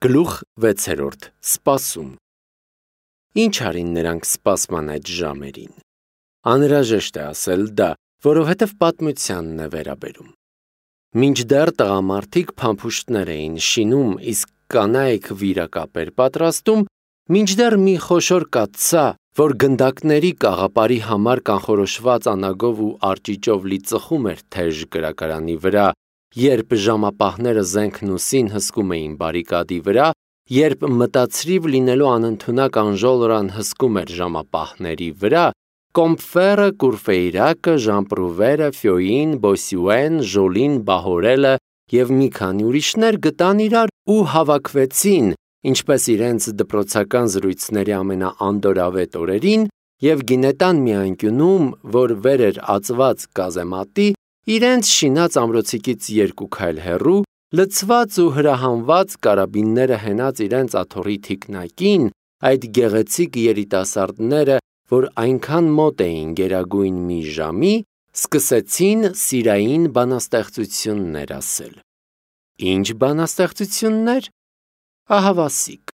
Գլուխ 6. Սպասում։ Ինչ արին նրանք սպասման այդ ժամերին։ Անհրաժեշտ է ասել դա, որովհետև պատմությանն է վերաբերում։ Մինչդեռ տղամարդիկ փամփուշտներ էին շինում, իսկ կանայք վիրակապեր պատրաստում, մինչդեռ մի խոշոր կաթսա, որ գնդակների կաղապարի համար կանխորոշված անագով ու արճիճով լի ծխում էր թեժ կրակարանի վրա, երբ ժամապահները զենքն ու սին հսկում էին բարիկադի վրա, երբ մտածրիվ լինելու անընդունակ անժոլորան հսկում էր ժամապահների վրա, Կոմֆերը, Կուրֆեյրակը, Ժամպրուվերը, Ֆյոյին, Բոսյուեն, Ժոլին, Բահորելը և մի քանի ուրիշներ գտան իրար ու հավաքվեցին, ինչպես իրենց դպրոցական զրույցների ամենաանդորավետ օրերին, և գինետան մի անկյունում, որ վեր էր ածված կազեմատի, իրենց շինած ամրոցիկից 2 քայլ հեռու, լցված ու հրահանված կարաբինները հենած իրենց աթոռի թիկնակին, այդ գեղեցիկ երիտասարդները, որ այնքան մոտ էին գերագույն մի ժամի, սկսեցին սիրային բանաստեղծություններ ասել։ Ինչ բանաստեղծություններ։ Ահավասիկ։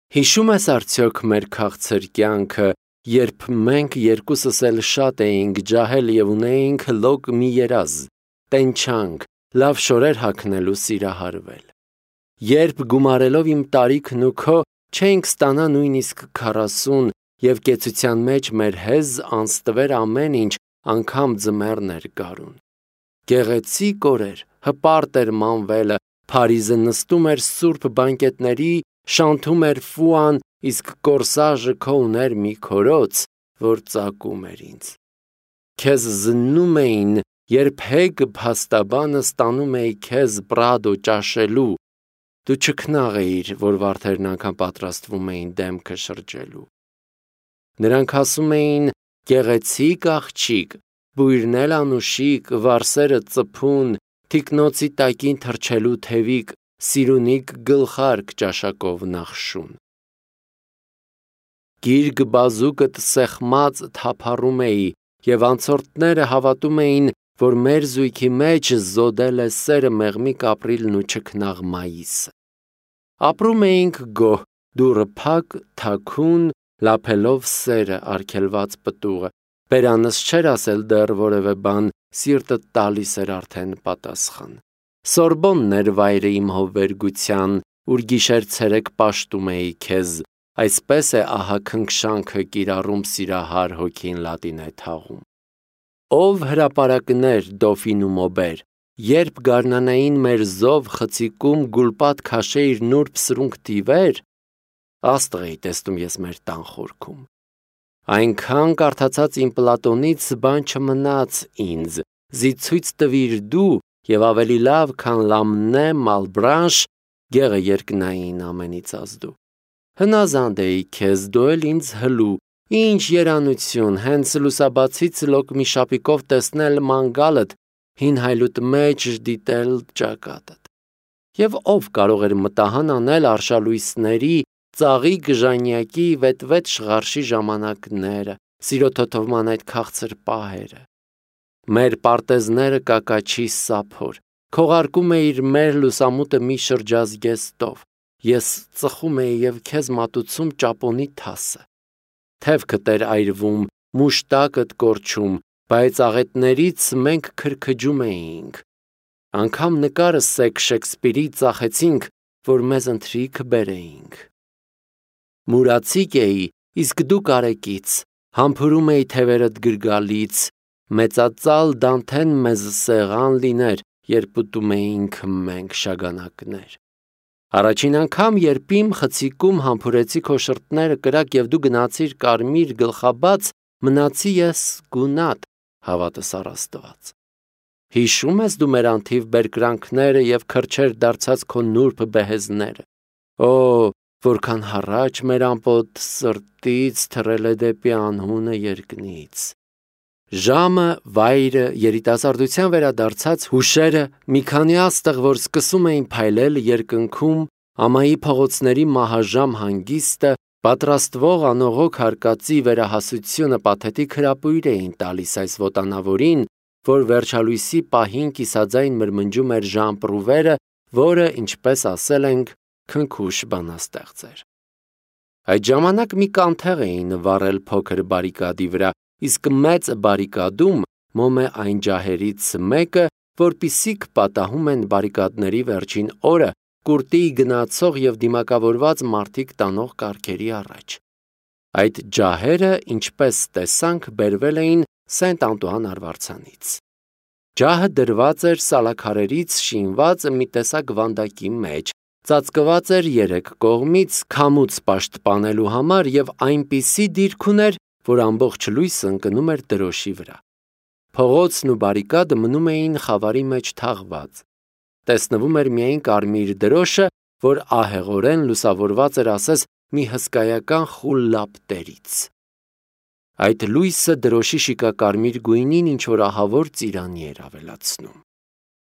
Հիշում ես արդյոք մեր քաղցր կյանքը, երբ մենք երկուսս էլ շատ էինք ջահել և ունեինք լոկ մի երազ, տենչանք, լավ շորեր հագնել ու սիրահարվել։ Երբ գումարելով իմ տարիքն ու քո չենք ստանա նույնիսկ 40 և կեցության մեջ մեր հեզ անստվեր ամեն ինչ, անգամ ձմեռն էր գարուն։ Գեղեցիկ օրեր, հպարտ էր մանվելը, Փարիզը նստում էր սուրբ բանկետների, շանթում էր Ֆուան, իսկ կորսաժը քո ուներ մի քորոց, որ ծակում էր ինձ։ Քեզ զննում էին, երբ հեգ փաստաբանը ստանում էի քեզ Պրադո ճաշելու, դու չքնաղ էիր, որ վարդերն անգամ պատրաստվում էին դեմքը շրջելու։ Նրանք ասում էին գեղեցիկ աղջիկ, բույրն էլ անուշիկ, վարսերը ծփուն, թիկնոցի տակին թռչելու թևիկ, սիրունիկ գլխարկ ճաշակով նախշուն։ Գիրգ բազուկդ սեղմած թափառում էի, և անցորդները հավատում էին, որ մեր զույգի մեջ զոդել է սերը մեղմիկ ապրիլն ու չքնաղ մայիսը։ Ապրում էինք գոհ, դուռը փակ, թաքուն, լափելով սերը, արգելված պտուղը, բերանս չէր ասել դեռ որևէ բան, սիրտդ տալիս էր արդեն պատասխան։ Սորբոնն էր վայրը իմ հովվերգության, ուր գիշեր-ցերեկ պաշտում էի քեզ, այսպես է ահա քնքշանքը կիրառում սիրահար հոգին լատին է թաղում։ Ով հրապարակներ Դոֆին ու Մոբեր, երբ գարնանային մեր զով խցիկում գուլպատ քաշեիր նուրբ սրունք տիվեր, աստղ էի տեսնում ես մեր տան խորքում։ Այնքան կարդացած իմ Պլատոնից բան չմնաց ինձ, զի ցույց տվիր դու և ավելի լավ, քան Լամնե, Մալբրանշ, գեղը երկնային ամենից ազդու։ Հնազանդ էի քեզ, դու էլ ինձ հլու, ինչ երանություն, հենց լուսաբացից լոկ մի շապիկով տեսնել մանգալդ, հին հայլուտ մեջ դիտել ճակատդ։ Եվ ով կարող էր մտահան անել արշալույսների, ծաղիկ ժանյակի վետվետ շղարշի ժամանակները, սիրո թոթովման այդ քաղցր պահերը։ Մեր պարտեզները կակաչի սափոր, քողարկում էիր մեր լուսամուտը մի շրջազգեստով, ես ծխում էի և քեզ մատուցում ճապոնի թասը։ Թևքդ էր այրվում, մուշտակդ կորչում, բայց աղետներից մենք քրքջում էինք։ Անգամ նկարը սեկ Շեքսպիրի ծախեցինք, որ մեզ ընթրիք բերեինք։ Մուրացիկ էի, իսկ դու կարեկից, համբուրում էի թևերդ գրգալից, մեծածալ Դանթեն մեզ սեղան լիներ, երբ ուտում էինք մենք շագանակներ։ Առաջին անգամ, երբ իմ խցիկում համբուրեցի քո շրթները կրակ և դու գնացիր կարմիր գլխաբաց, մնացի ես գունատ, հավատս առ Աստված։ Հիշում ես դու մեր անթիվ բերկրանքները և քրջեր դարձած քո նուրբ բեհեզները։ Օ, որքան հառաչ մեր ամպոտ սրտից թռել է դեպի անհունը երկնից։ Ժամը, վայրը, երիտասարդության վերադարձած հուշերը, մի քանի աստղ, որ սկսում էին փայլել երկնքում, ամայի փողոցների մահաժամ հանգիստը, պատրաստվող անողոք հարկածի վերահասությունը պաթետիկ հրապույր էին տալիս այս ոտանավորին, որ վերջալույսի պահին կիսաձայն մրմնջում էր Ժամպրուվերը, որը, ինչպես ասել ենք, քնքուշ բանաստեղծ էր։ Այդ ժամանակ մի կանթեղ էին վառել փոքր բարիկադի վրա, իսկ մեծ բարիկադում մոմ է այն ջահերից մեկը, որպիսիք պատահում են բարիկադների վերջին օրը կուրտի գնացող եւ դիմակավորված մարդիկ տանող կառքերի առաջ։ Այդ ջահերը, ինչպես տեսանք, բերվել էին Սենտ-Անտուան արվարձանից։ Ջահը դրված էր սալաքարերից շինված մի տեսակ վանդակի մեջ, ծածկված էր երեք կողմից քամուց պաշտպանելու համար եւ այնպիսի դիրք ուներ, որ ամբողջ լույսը ընկնում էր դրոշի վրա։ Փողոցն ու բարիկադը մնում էին խավարի մեջ թաղված։ Տեսնվում էր միայն կարմիր դրոշը, որ ահեղորեն լուսավորված էր ասես մի հսկայական խուլ լապտերից։ Այդ լույսը դրոշի շիկակարմիր գույնին ինչ-որ ահավոր ծիրանի էր ավելացնում։